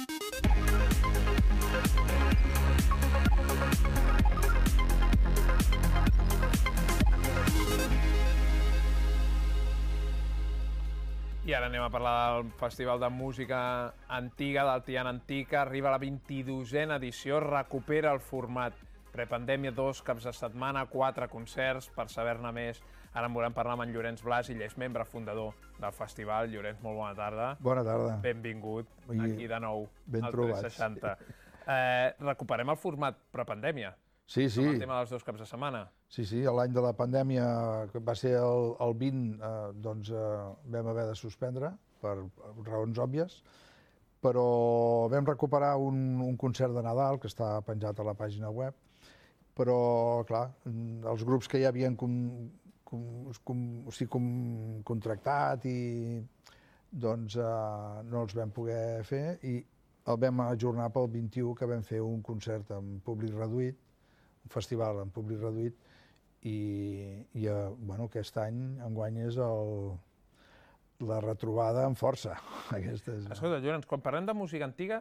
I ara anem a parlar del Festival de Música Antiga, del Tiana Antica. Arriba la 22a edició, recupera el format prepandèmia, 2 caps de setmana, 4 concerts. Per saber-ne més, ara en volem parlar amb en Llorenç Blas, ell és membre fundador del festival. Llorenç, molt bona tarda. Bona tarda. Benvingut aquí de nou ben al trobats. 360. Recuperem el format prepandèmia. Sí, sí. Amb el tema dels 2 caps de setmana. Sí, sí, l'any de la pandèmia, que va ser el 20, doncs vam haver de suspendre per raons òbvies, però vam recuperar un concert de Nadal que està penjat a la pàgina web, però, clar, els grups que ja havien contractat i doncs no els vam poder fer i el vam ajornar pel 21, que vam fer un concert amb públic reduït, un festival amb públic reduït, i aquest any, enguany, és la retrobada amb força. Escolta, Llorenç, quan parlem de música antiga,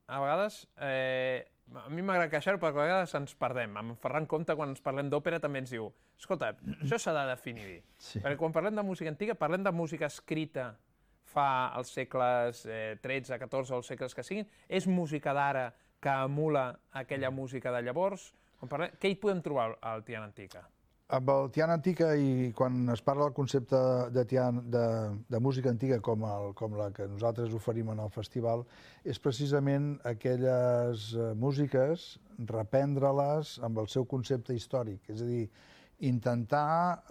a vegades, a mi m'agrada queixar-ho perquè a vegades ens perdem. En Ferran Comte, quan ens parlem d'òpera, també ens diu escolta, això s'ha de definir bé. Perquè quan parlem de música antiga, parlem de música escrita fa els segles XIII, XIV o els segles que siguin. És música d'ara que emula aquella música de llavors? Què hi podem trobar al Tiana Antica? Amb el Tiana Antica, i quan es parla del concepte de música antiga com la que nosaltres oferim en el festival, és precisament aquelles músiques, reprendre-les amb el seu concepte històric, és a dir, intentar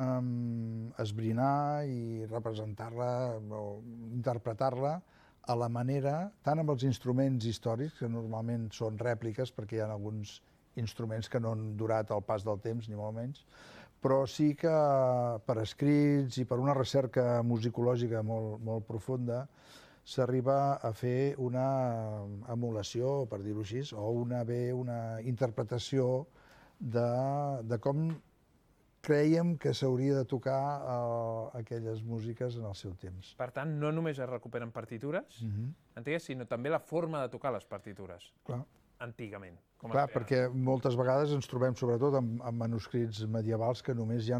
esbrinar i representar-la o interpretar-la a la manera, tant amb els instruments històrics, que normalment són rèpliques perquè hi ha alguns instruments que no han durat el pas del temps, ni molt menys, però sí que per escrits i per una recerca musicològica molt profunda s'arriba a fer una emulació, per dir-ho així, o una interpretació de com crèiem que s'hauria de tocar aquelles músiques en el seu temps. Per tant, no només es recuperen partitures antigues, sinó també la forma de tocar les partitures. Clar. Antigament. Clar, perquè moltes vegades ens trobem sobretot amb manuscrits medievals que només hi ha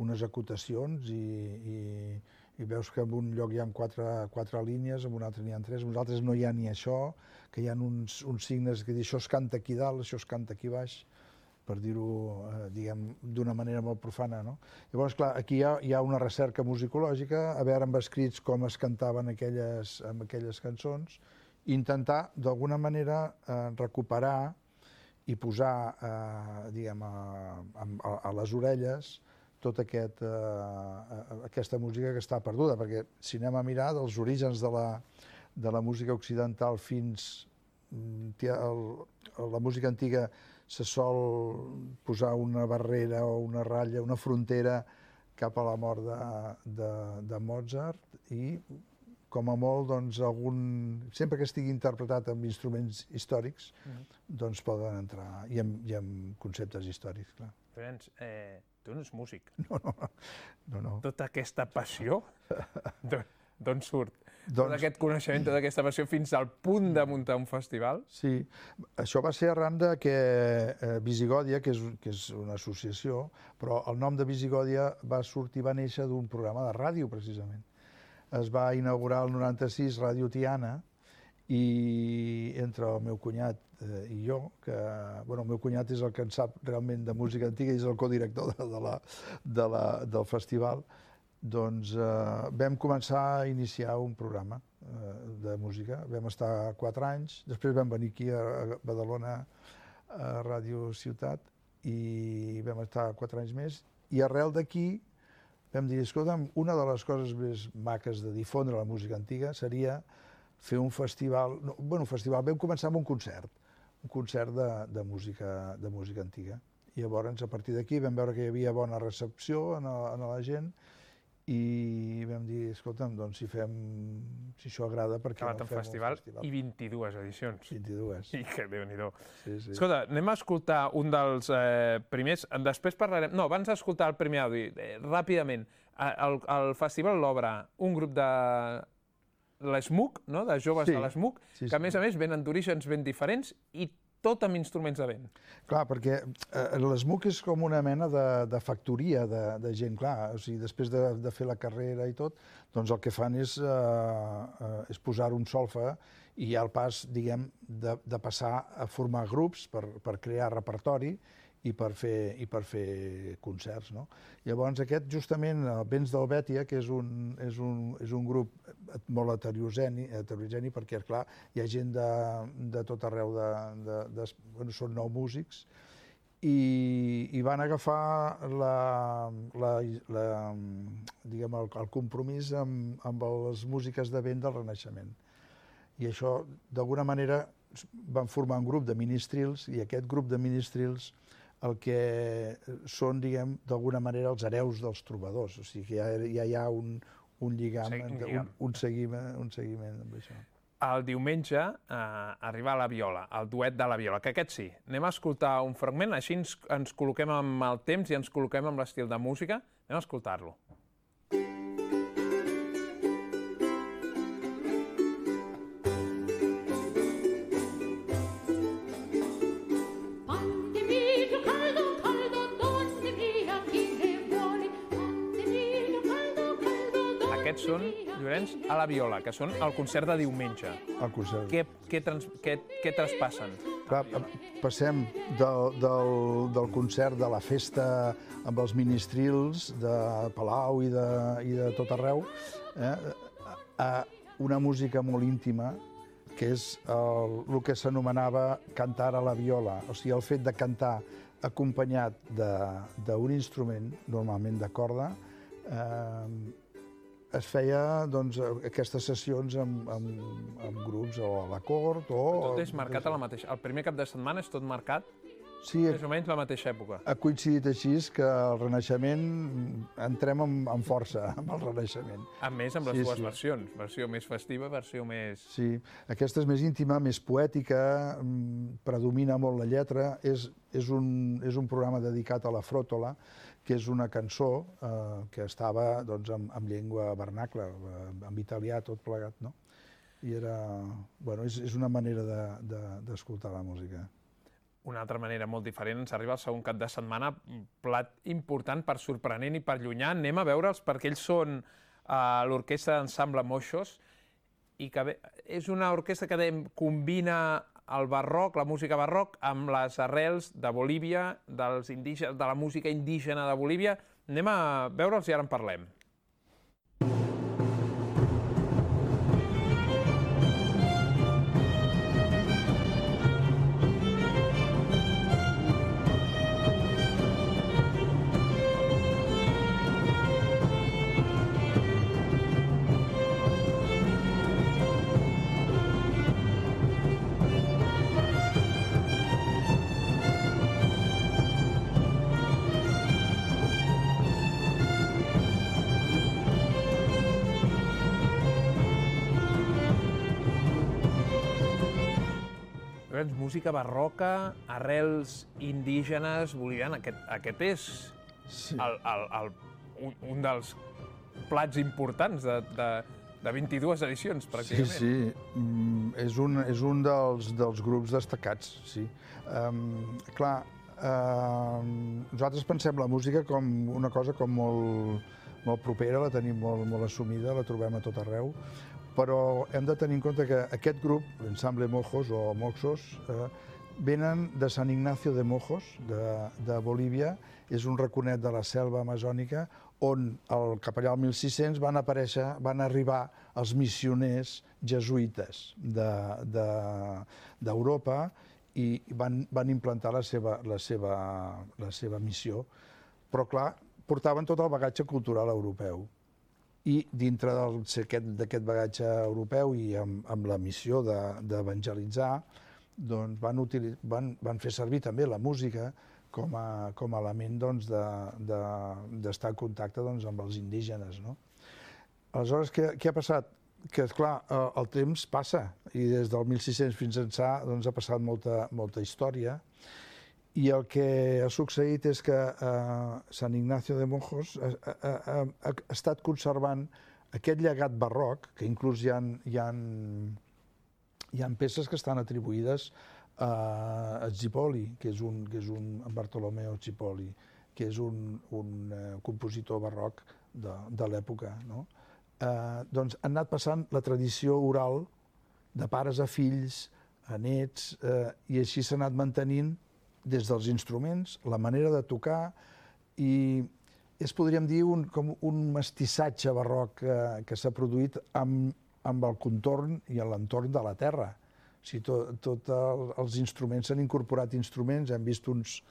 unes acotacions i veus que en un lloc hi ha 4 línies, en un altre n'hi ha 3, en un altre no hi ha ni això, que hi ha uns signes que diuen això es canta aquí dalt, això es canta aquí baix, per dir-ho, diguem, d'una manera molt profana, no? Llavors, clar, aquí hi ha una recerca musicològica, a veure amb escrits com es cantaven aquelles cançons, intentar, d'alguna manera, recuperar i posar, diguem, a les orelles tota aquesta música que està perduda, perquè si anem a mirar dels orígens de la música occidental fins a la música antiga se sol posar una barrera o una ratlla, una frontera cap a la mort de Mozart i com a molt, doncs, sempre que estigui interpretat amb instruments històrics, doncs poden entrar, i amb conceptes històrics, clar. Llorenç, tu no ets músic. No. Tota aquesta passió, d'on surt? Tot aquest coneixement, tota aquesta passió, fins al punt de muntar un festival? Sí, això va ser arran que Visigòdia, que és una associació, però el nom de Visigòdia va néixer d'un programa de ràdio, precisament. Es va inaugurar el 96 Ràdio Tiana i entre el meu cunyat i jo, que el meu cunyat és el que en sap realment de música antiga i és el codirector del festival, doncs vam començar a iniciar un programa de música. Vam estar 4 anys, després vam venir aquí a Badalona, a Ràdio Ciutat, i vam estar 4 anys més, i arrel d'aquí vam dir, escolta'm, una de les coses més maques de difondre la música antiga seria fer un festival, vam començar amb un concert de música antiga. I llavors, a partir d'aquí, vam veure que hi havia bona recepció en la gent i vam dir, escolta'm, doncs si això agrada, per què no fem un festival? I 22 edicions. 22. I que Déu-n'hi-do. Sí. Escolta, anem a escoltar un dels primers, després parlarem... No, abans d'escoltar el primer àudio, ràpidament, el festival l'obre un grup l'SMUC, no? De joves de l'SMUC, que a més venen d'orígens ben diferents i tot amb instruments de vent. Clar, perquè l'SMUC és com una mena de factoria de gent, clar. O sigui, després de fer la carrera i tot, doncs el que fan és posar un solfa i hi ha el pas, diguem, de passar a formar grups per crear repertori i per fer concerts, no? Llavors aquest, justament, Vents d'Helvètia, que és un grup molt heterogeni perquè, clar, hi ha gent de tot arreu, són 9 músics, i van agafar el compromís amb les músiques de vent del Renaixement. I això, d'alguna manera, van formar un grup de ministrils, i aquest grup de ministrils el que són, diguem, d'alguna manera els hereus dels trobadors. O sigui, que ja hi ha un lligam, un seguiment amb això. El diumenge arriba la viola, el duet de la viola, que aquest sí. Anem a escoltar un fragment, així ens col·loquem amb el temps i ens col·loquem amb l'estil de música. Anem a escoltar-lo. Aquests són, Llorenç, a la viola, que són el concert de diumenge. El concert. Què traspassen? Clar, passem del concert de la festa amb els ministrils de Palau i de tot arreu a una música molt íntima, que és el que s'anomenava cantar a la viola. O sigui, el fet de cantar acompanyat d'un instrument, normalment de corda, es feia aquestes sessions amb grups o a la cort o... Tot és marcat a la mateixa... El primer cap de setmana és tot marcat més o menys la mateixa època. Ha coincidit així que el Renaixement, entrem amb força amb el Renaixement. A més, amb les dues versions, versió més festiva, versió més... Sí, aquesta és més íntima, més poètica, predomina molt la lletra, és un programa dedicat a la fròtola, que és una cançó que estava en llengua vernacla, en italià, tot plegat, no? I és una manera d'escoltar la música. Una altra manera molt diferent, ens arriba el segon cap de setmana, plat important per sorprenent i per llunyà. Anem a veure'ls perquè ells són l'orquestra d'ensemble Moixos i que és una orquestra que combina el barroc, la música barroc, amb les arrels de Bolívia, de la música indígena de Bolívia. Anem a veure'ls i ara en parlem. Música barroca, arrels indígenes, boliviana. Aquest és un dels plats importants de 22 edicions, pràcticament. Sí, és un dels grups destacats, sí. Clar, nosaltres pensem la música com una cosa com molt propera, la tenim molt assumida, la trobem a tot arreu, però hem de tenir en compte que aquest grup, l'ensemble Mojos o Moxos, venen de San Ignacio de Mojos, de Bolívia, és un raconet de la selva amazònica, on cap allà al 1600 van arribar els missioners jesuïtes d'Europa i van implantar la seva missió. Però, clar, portaven tot el bagatge cultural europeu. I dintre d'aquest bagatge europeu i amb la missió d'evangelitzar, van fer servir també la música com a element d'estar en contacte amb els indígenes. Aleshores, què ha passat? Que, esclar, el temps passa i des del 1600 fins ençà ha passat molta història. I el que ha succeït és que San Ignacio de Mojos ha estat conservant aquest llegat barroc, que inclús hi ha peces que estan atribuïdes a Zipoli, que és un Bartolomeo Zipoli, que és un compositor barroc de l'època. Doncs han anat passant la tradició oral de pares a fills, a nets, i així s'ha anat mantenint des dels instruments, la manera de tocar, i podríem dir, com un mestissatge barroc que s'ha produït amb el contorn i l'entorn de la terra. O sigui, tots els instruments, s'han incorporat instruments, hem vist uns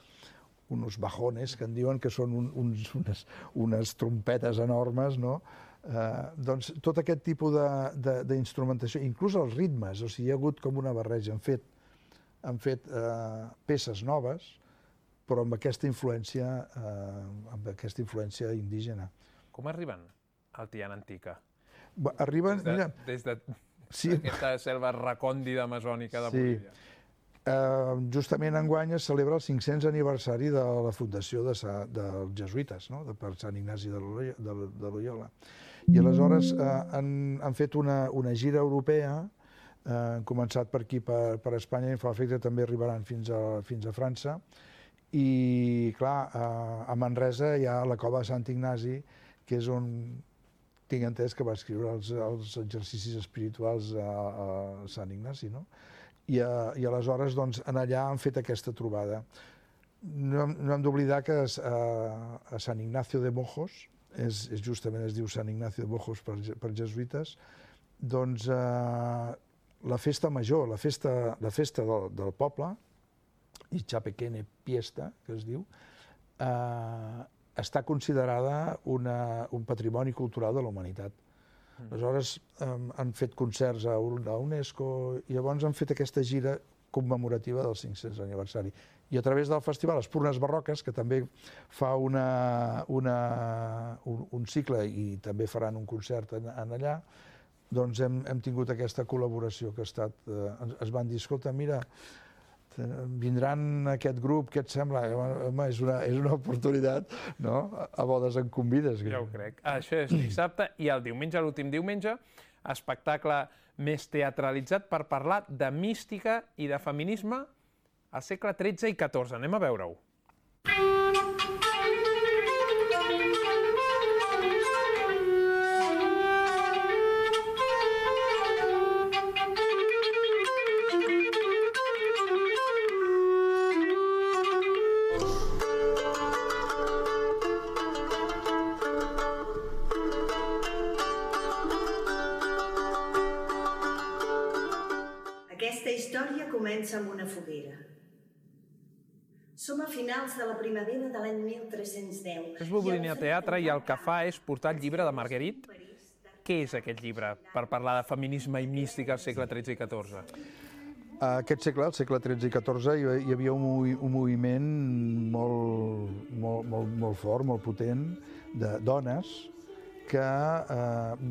bajones, que en diuen que són unes trompetes enormes, no? Doncs tot aquest tipus d'instrumentació, inclús els ritmes, o sigui, hi ha hagut com una barreja. Han fet peces noves, però amb aquesta influència indígena. Com arriben al Tiana Antica? Arriben... Des d'aquesta selva recòndida amazònica de Bolívia. Justament enguany es celebra el 500 aniversari de la fundació dels jesuïtes, per Sant Ignasi de Loyola. I aleshores han fet una gira europea, han començat per aquí, per Espanya, i em fa l'efecte que també arribaran fins a França. I, clar, a Manresa hi ha la cova de Sant Ignasi, que és on tinc entès que va escriure els exercicis espirituals a Sant Ignasi, no? I aleshores, doncs, allà han fet aquesta trobada. No hem d'oblidar que a Sant Ignacio de Mojos, justament es diu Sant Ignacio de Mojos per jesuïtes, doncs la festa major, la festa del poble, i Chapequene Fiesta, que es diu, està considerada un patrimoni cultural de la humanitat. Aleshores han fet concerts a UNESCO i llavors han fet aquesta gira commemorativa del 500 aniversari. I a través del festival Espurnes Barroques, que també fa un cicle i també faran un concert allà, doncs hem tingut aquesta col·laboració que es van dir, escolta, mira, vindran aquest grup, què et sembla? Home, és una oportunitat, no? A bodes en convides. Ja ho crec. Això és dissabte i el diumenge, l'últim diumenge, espectacle més teatralitzat per parlar de mística i de feminisme al segle XIII i XIV. Anem a veure-ho. Aquesta història comença amb una foguera. Som a finals de la primavera de l'any 1310. És Bobolina Teatre i el que fa és portar el llibre de Marguerite. Què és aquest llibre per parlar de feminisme i mística al segle XIII i XIV? Aquest segle, el segle XIII i XIV, hi havia un moviment molt fort, molt potent, de dones, que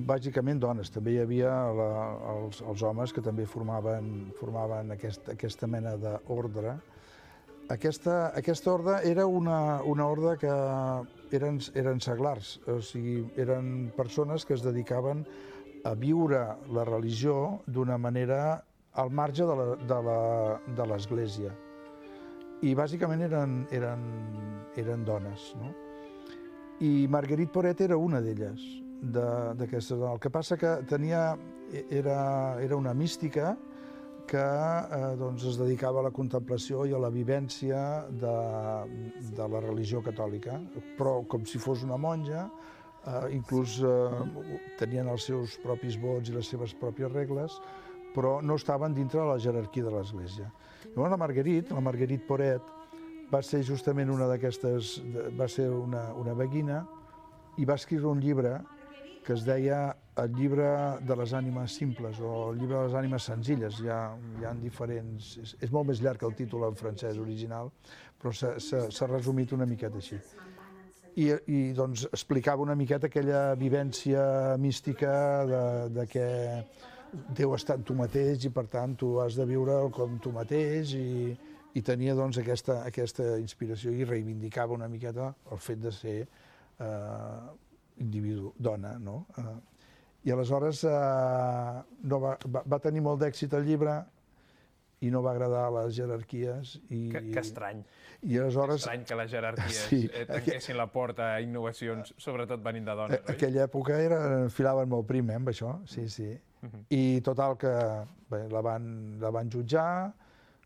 bàsicament dones, també hi havia els homes que també formaven aquesta mena d'ordre. Aquesta ordre era una ordre que eren seglars, o sigui, eren persones que es dedicaven a viure la religió d'una manera al marge de l'Església. I bàsicament eren dones, no? I Marguerite Porete era una d'elles, d'aquestes dones. El que passa que era una mística que es dedicava a la contemplació i a la vivència de la religió catòlica, però com si fos una monja, inclús tenien els seus propis vots i les seves pròpies regles, però no estaven dintre de la jerarquia de l'Església. Llavors la Marguerite Porete, va ser justament una d'aquestes, va ser una beguina i va escriure un llibre que es deia el llibre de les ànimes simples o el llibre de les ànimes senzilles. Hi ha diferents... És molt més llarg que el títol en francès original, però s'ha resumit una miqueta així. I doncs explicava una miqueta aquella vivència mística de que Déu està en tu mateix i per tant tu has de viure com tu mateix i tenia doncs aquesta inspiració i reivindicava una miqueta el fet de ser individu, dona, no? I aleshores no va tenir molt d'èxit el llibre i no va agradar a les jerarquies. Que estrany. I aleshores... Estrany que les jerarquies tanquessin la porta a innovacions, sobretot venint de dones, oi? Aquella època enfilaven molt prim, amb això, sí. I total que la van jutjar,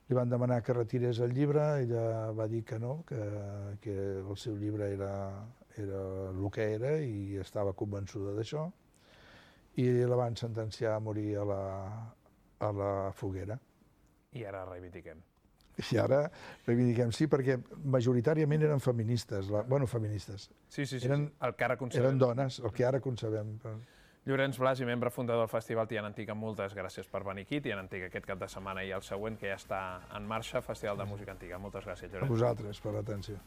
li van demanar que retirés el llibre, ella va dir que no, que el seu llibre era el que era i estava convençuda d'això, i la van sentenciar a morir a la foguera. I ara reivindiquem. I ara reivindiquem, sí, perquè majoritàriament eren feministes, feministes. Sí, el que ara concebem. Eren dones, el que ara concebem. Llorenç Blas, i membre fundador del Festival Tiana Antiga, moltes gràcies per venir aquí. Tiana Antiga aquest cap de setmana i el següent, que ja està en marxa, Festival de Música Antiga. Moltes gràcies, Llorenç. A vosaltres per l'atenció.